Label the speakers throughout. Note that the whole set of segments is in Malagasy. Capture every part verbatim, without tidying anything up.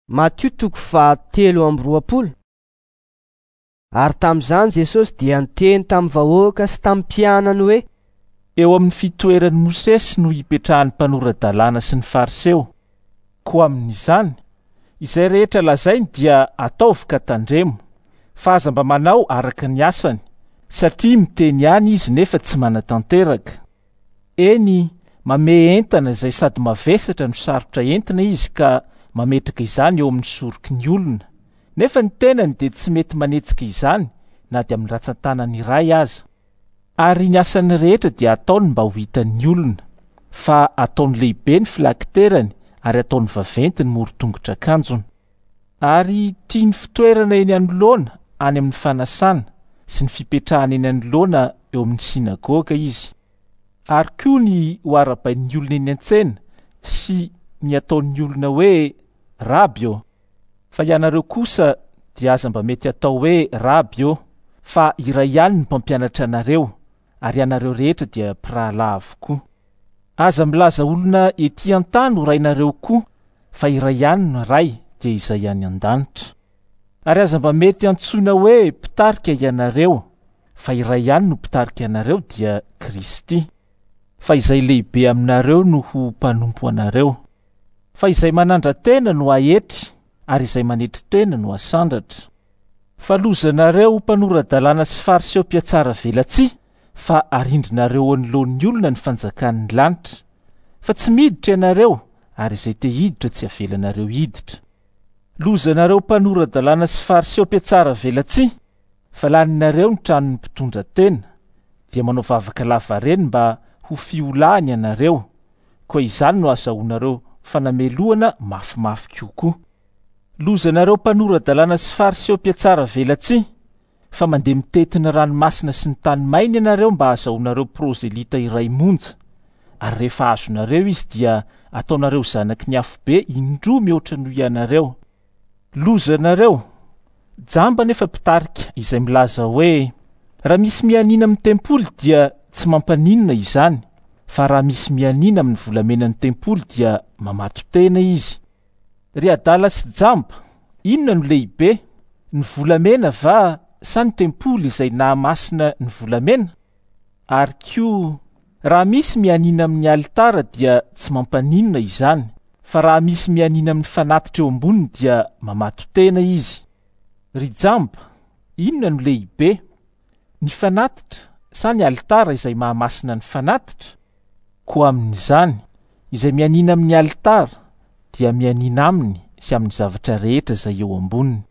Speaker 1: Matio toko fahatelo amby roapolo. Ary tamin'izany Jesosy dia niteny tamin'ny vahoaka sy tamin'ny mpianany hoe:
Speaker 2: Eo amin'ny fitoeran'i Mosesy no hipetrahan'ny mpanora-dalàna sy ny Fariseo. Koa amin'izany, izay rehetra lazainy dia ataovy ka tandremo, fa aza mba manao araka ny asany, satria miteny ihany izy nefa tsy manatanteraka. Eny, mamehy entana izay sady mavesatra no sarotra entina izy ka mametraka izany eo amin'ny soroky ny olona, nefa ny tenany dia tsy mety manetsika izany na dia amin'ny ratsan-tanany iray aza. Ary ny asany rehetra dia ataony mba ho hitan'ny olona, fa ataony lehibe ny filakiterany ary ataony vaventy ny morotongotra akanjony. Ary tia ny fitoerana eny anoloana any amin'ny fanasana sy ny fipetrahana eny anoloana eo amin'ny synagoga izy. Ary koa ny ho arahabain'ny olona eny an-tsena sy ny ataon'ny olona hoe raby ô. Fa ianareo kosa dia aza mba mety atao hoe raby ô, fa iray ihany ny mpampianatra anareo, ary ianareo rehetra dia mpirahalahy avokoa. Aza milaza olona ety an-tany ho rainareo koa, fa iray ihany ny Ray, dia izay any an-danitra. Ary aza mba mety antsoina hoe mpitarika ianareo, fa iray ihany no mpitarika anareo, dia Kristy. Fa izay lehibe aminareo no ho mpanompo anareo. Fa izay manandra-tena no aetry, ary izay manetry tena no asandratra. Fa lozanareo mpanora-dalàna sy Fariseo mpiatsara velatsihy, fa arindrinareo anoloan'ny olona ny fanjakan'ny lanitra. Fa tsy miditra ianareo, ary izay te hiditra tsy avelanareo hiditra. Lozanareo mpanora-dalàna sy Fariseo mpiatsara velatsihy, fa laninareo ny tranon'ny mpitondra tena, dia manao vavaka lavareny mba ho fiolahany ianareo, koa izany no azahoanareo fanamelohana mafimafy kokoa. Lozanareo mpanora-dalàna sy Fariseo mpiatsara velatsihy, fa mandeha mitety ny ranomasina sy ny tany maina ianareo mba ahazoanareo prozelita iray monja, ary rehefa azonareo izy dia ataonareo zanaky ny afobe indroa mihoatra noho ianareo. Lozanareo, jamba nefa mpitarika izay milaza hoe: raha misy mianiana amin'ny tempoly dia tsy mampaninona izany, fa raha misy mianiana amin'ny volamenan'ny tempoly dia mamato-tena izy. Ry adala sy jamba, inona no lehibe, ny volamena va sa ny tempoly izay nahamasina ny volamena? Ary koa, raha misy mianiana amin'ny alitara dia tsy mampaninona izany, fa raha misy mianiana amin'ny fanatitra eo amboniny dia mamato-tena izy. Ry jamba, inona no lehibe, ny fanatitra sa ny alitara izay mahamasina ny fanatitra? Koa amin'izany, izay mianiana amin'ny alitara dia mianiana aminy sy amin'ny zavatra rehetra izay eo amboniny.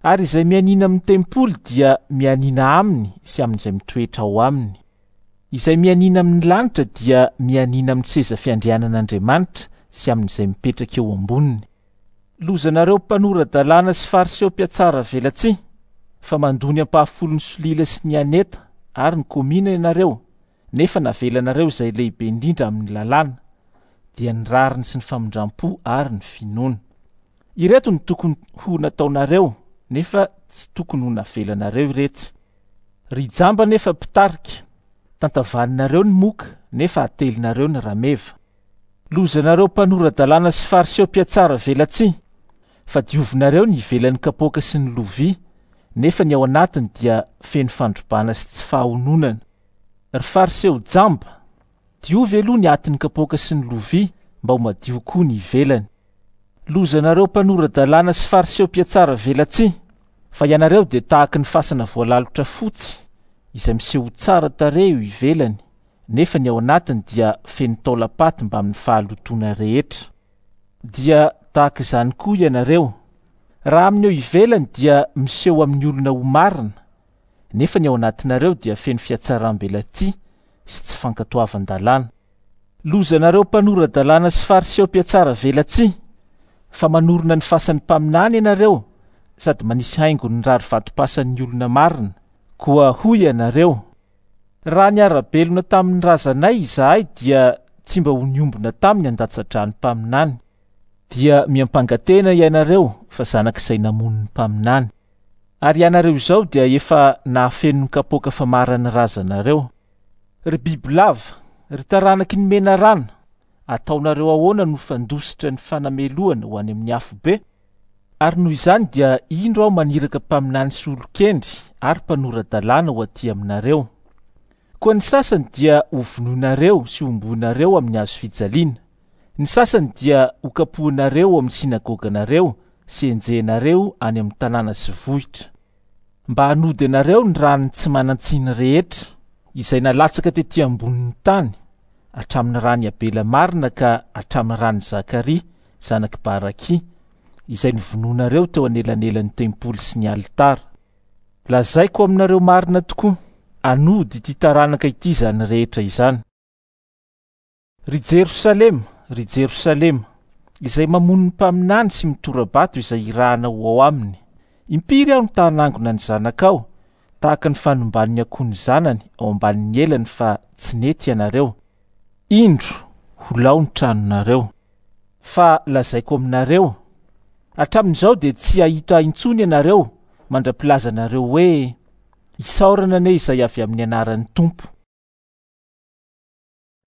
Speaker 2: Ary izay mianiana amin'ny tempoly dia mianiana aminy sy amin'izay mitoetra ao aminy. Izay mianiana amin'ny lanitra dia mianiana amin'ny seza fiandrianan'Andriamanitra sy amin'izay mipetraka eo amboniny. Lozanareo mpanora-dalàna sy Fariseo mpiatsara velatsihy, fa mandoa ny ampahafolon'ny solila sy ny aneta ary ny komina ianareo, nefa navelanareo izay lehibe indrindra amin'ny lalàna, dia ny rariny sy ny famindram-po ary ny finoana. Ireto no tokony ho nataonareo, nefa tsy tokony ho navelanareo iretsy. Ry jamba nefa mpitarika, tantavaninareo ny moka, nefa atelinareo ny rameva. Lozanareo mpanora-dalàna sy Fariseo mpiatsara velatsihy, fa diovinareo ny ivelan'ny kapoaka sy ny lovia, nefa ny ao anatiny dia feno fandrobana sy tsy fahononana. Ry Fariseo jamba, diovy aloha ny atin'ny kapoaka sy ny lovia mba ho madio koa ny ivelany. Lozanareo mpanora-dalàna sy Fariseo mpiatsara velatsihy, fa ianareo dia tahaka ny fasana voalalotra fotsy izay miseho tsara tarehy eo ivelany, nefa ny ao anatiny dia feno taolam-paty mbamin'ny fahalotoana rehetra. Dia tahaka izany koa ianareo, raha amin'ny eo ivelany dia miseho amin'ny olona ho marina, nefa ny ao anatinareo dia feno fihatsaram-belatsihy sy tsy fankatoavan-dalàna. Lozanareo mpanora-dalàna sy Fariseo mpiatsara velatsihy, fa manorina ny fasan'ny mpaminany ianareo sady manisy haingo ny rary vatom-pasan'ny olona marina. Koa hoy ianareo: raha niara-belona tamin'ny razanay izahay dia tsy mba ho niombona taminy handatsa-drà ny mpaminany. Dia miampanga-tena ianareo fa zanak'izay namono ny mpaminany. Ary ianareo izao dia efa nahafeno ny kapoaka famaran'ny razanareo. Ry bibilava, ry taranaky ny menarana, ataonareo ahoana no fandositra ny fanamelohana ho any amin'ny afobe? Ary noho izany dia indro aho maniraka mpaminany sy olon-kendry ary mpanora-dalàna ho aty aminareo. Koa ny sasany dia hovonoinareo sy homboinareo amin'ny hazo fijaliana. Ny sasany dia hokapohinareo amin'ny sinagoganareo sy enjehinareo any amin'ny tanàna sy vohitra. Mba hanody anareo ny ran'ny tsy manan-tsiny rehetra izay nalatsaka tety ambonin'ny tany, hatramin'ny ran'i Abela marina ka hatramin'ny ran'i Zakaria zanak'i Barakia, izay novonoinareo teo anelanelan'ny tempoly sy ny alitara. Lazaiko aminareo marina tokoa, hanody ity taranaka ity izany rehetra izany. Ry Jerosalema, ry Jerosalema, izay mamono ny mpaminany sy mitora-bato izay irahana ho ao aminy. Impiry aho no ta-hanangona ny zanakao, tahaka ny fanomban'ny akoho ny zanany ao ambanin'ny elany, fa tsy nety ianareo. Indro, ho lao ny tranonareo. Fa lazaiko aminareo, hatramin'izao dia tsy hahita intsony ianareo mandra-pilazanareo hoe: Isaorana anie izay avy amin'ny anaran'ny Tompo.